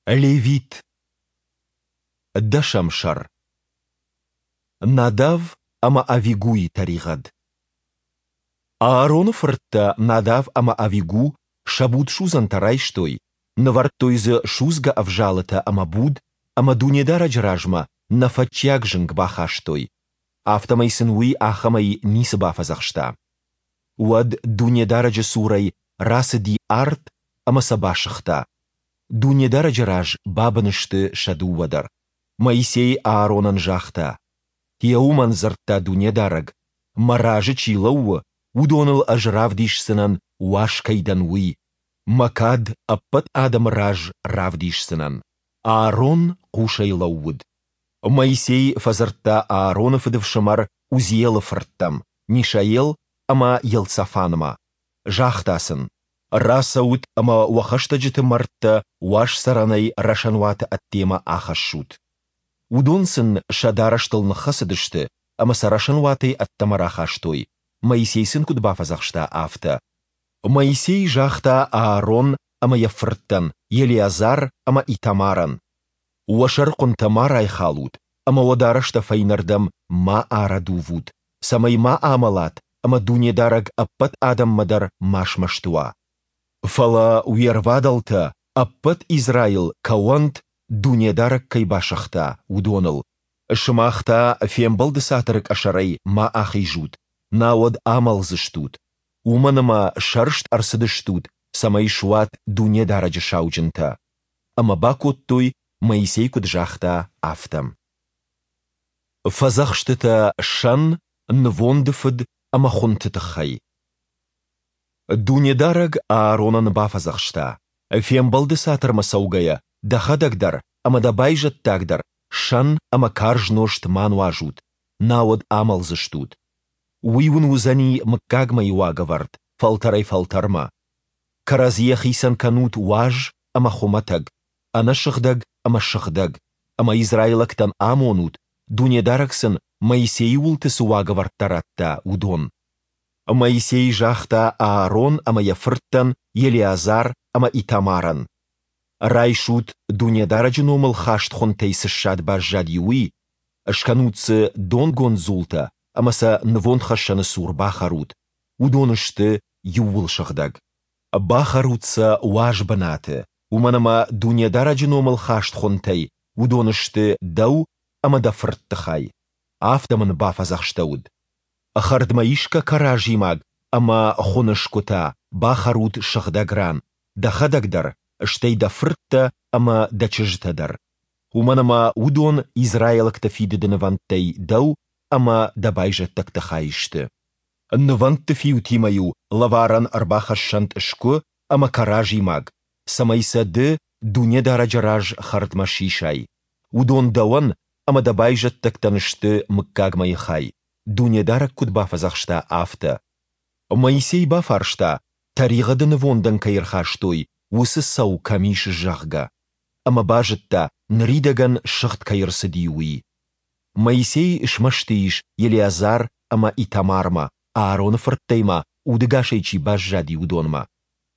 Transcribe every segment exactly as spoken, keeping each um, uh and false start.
Левит. Дӕсӕм сӕр. Надав ӕмӕ Авигуйы тӕригъӕд. Аароны фырттӕ Надав ӕмӕ Авигу сӕ будсудзӕнтӕ райстой, нывӕрдтой дзы судзгӕ ӕвзалытӕ ӕмӕ буд, ӕмӕ Дунедарӕджы размӕ нӕфӕтчиаг зынг бахастой. Афтӕмӕй сын Уый ахӕмӕй ницы бафӕдзӕхста. Уӕд Дунедарӕджы цурӕй рацыди арт ӕмӕ сӕ басыгъта. Дунедарӕджы раз бабын сты сӕ дыууӕ дӕр. Моисей Ааронӕн загъта: Гъе уымӕн дзырдта Дунедарӕг, Мӕ разы чи лӕууы, уыдоныл Ӕз равдисдзынӕн, уаз кӕй дӕн, уый, Мӕ кад ӕппӕт адӕмы раз равдисдзынӕн. Аарон хъусӕй лӕууыд. Моисей фӕдзырдта Аароны фыдыфсымӕр Узиелы фырттӕм, Мишаел ӕмӕ Елцафанмӕ. Загъта сын: Рацӕут ӕмӕ уӕ хӕстӕджыты мӕрдтӕ Уаз Цӕрӕнӕй рӕсӕнуаты ӕддемӕ ахӕссут. Уыдон сын сӕ дарӕстыл ныххӕцыдысты ӕмӕ сӕ рӕсӕнуатӕй ӕддӕмӕ рахастой, Моисей сын куыд бафӕдзӕхста, афтӕ. Моисей загъта Аарон ӕмӕ йӕ фырттӕн, Елеазар ӕмӕ Итамарӕн: Уӕ сӕрыхъуынтӕ ма райхалут ӕмӕ уӕ дарӕстӕ фӕйнӕрдӕм ма арӕдувут, цӕмӕй ма амӕлат ӕмӕ Дунедарӕг ӕппӕт адӕммӕ дӕр ма смӕсты уа. Фӕлӕ уе рвадӕлтӕ, ӕппӕт Израил, кӕуӕнт, Дунедарӕг кӕй басыгъта, уыдоныл. Сымах та Фембӕлды Цатыры къӕсӕрӕй ма ахизут, науӕд амӕлдзыстут, уымӕн ӕмӕ сӕрст ӕрцыдыстут, цӕмӕй суат Дунедарӕджы сауджынтӕ. Ӕмӕ бакодтой, Моисей куыд загъта, афтӕ. Фӕдзӕхстытӕ сӕн, нывонды фыд ӕмӕ хуынты тыххӕй. Дунедарӕг Ааронӕн бафӕдзӕхста: Фембӕлды Цатырмӕ цӕугӕйӕ дӕхӕдӕг дӕр ӕмӕ дӕ байзӕддаг дӕр сӕн ӕмӕ карз нозт ма нуазут, науӕд амӕлдзыстут. Уый уын уыдзӕни мыггагмӕйы уагӕвӕрд, фӕлтӕрӕй-фӕлтӕрмӕ. Кӕрӕдзийӕ хицӕн кӕнут уаз ӕмӕ хуымӕтӕг, ӕнӕсыгъдӕг ӕмӕ сыгъдӕг, ӕмӕ израилӕгтӕн амонут, Дунедарӕг сын Моисейы уылты цы уагӕвӕрдтӕ радта, уыдон. Моисей загъта Аарон ӕмӕ йӕ фырттӕн Елеазар ӕмӕ Итамарӕн: Райсут, Дунедарӕджы номыл хаст хуынтӕй цы ссад баззади, уый, скӕнут дзы донгонд дзултӕ ӕмӕ сӕ нывондхӕссӕны цур бахӕрут, уыдон сты иууылсыгъдӕг. Бахӕрут сӕ уаз бынаты, уымӕн ӕмӕ Дунедарӕджы номыл хаст хуынтӕй уыдон сты дӕу ӕмӕ дӕ фыртты хай. Афтӕ мын бафӕдзӕхстӕуыд. Хӕрдмӕисгӕ кӕразимаг ӕмӕ хуыны сгуытӕ бахӕрут сыгъдӕг ран, дӕхӕдӕг дӕр, стӕй дӕ фырттӕ ӕмӕ дӕ чызджытӕ дӕр. Уымӕн ӕмӕ уыдон израилӕгты фидыды нывӕндтӕй дӕу ӕмӕ дӕ байзӕддӕгты хай сты. Нывӕндты фиутимӕ-иу лӕварӕн ӕрбахӕссӕнт сгуы ӕмӕ кӕразимаг, цӕмӕй сӕ ды Дунедарӕджы раз хӕрдмӕ сисай. Уыдон дӕуӕн ӕмӕ дӕ байзӕддӕгтӕн сты мыггагмӕйы хай, Дунедарӕг куыд бафӕдзӕхста, афтӕ. Моисей бафарста, тӕригъӕды нывондӕн кӕй ӕрхастой, уыцы цӕу кӕм ис, зӕгъгӕ. Ӕмӕ базыдта, ныридӕгӕн сыгъд кӕй ӕрцыди, уый. Моисей смӕсты ис Елеазар ӕмӕ Итамармӕ, Аароны фырттӕй ма удӕгасӕй чи баззади, уыдонмӕ.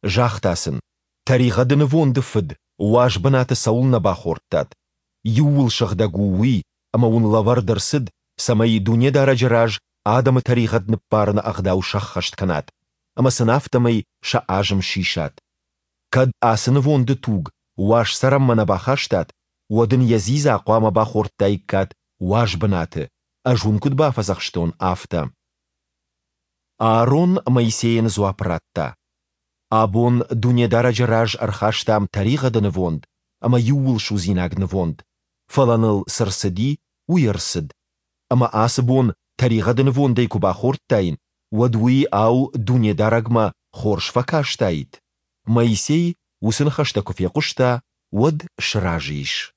Загъта сын: Тӕригъӕды нывонды фыд уаз бынаты цӕуылнӕ бахордтат? Иууылсыгъдӕг у уый, ӕмӕ уын лӕвӕрд ӕрцыд, цӕмӕй Дунедарӕджы раз адӕмы тӕригъӕд ныббарыны ӕгъдау сӕххӕст кӕнат, ӕмӕ сын афтӕмӕй сӕ азым сисат. Кӕд ацы нывонды туг уаз цӕрӕнмӕ нӕ бахастат, уӕд ын йӕ дзидза хъуамӕ бахордтаиккат уаз бынаты, ӕз уын куыд бафӕдзӕхстон, афтӕ. Аарон Моисейӕн дзуапп радта: Абон Дунедарӕджы раз ӕрхастам тӕригъӕды нывонд ӕмӕ иууылсудзинаг нывонд, фӕлӕ ныл цы рцыди, уый ӕрцыд. Ӕмӕ ацы бон тӕригъӕды нывондӕй куы бахордтаин, уӕд уый, ау, Дунедарӕгмӕ хорз фӕкастаид? Моисей уыцы ныхӕстӕ куы фехъуыста, уӕд сразы ис.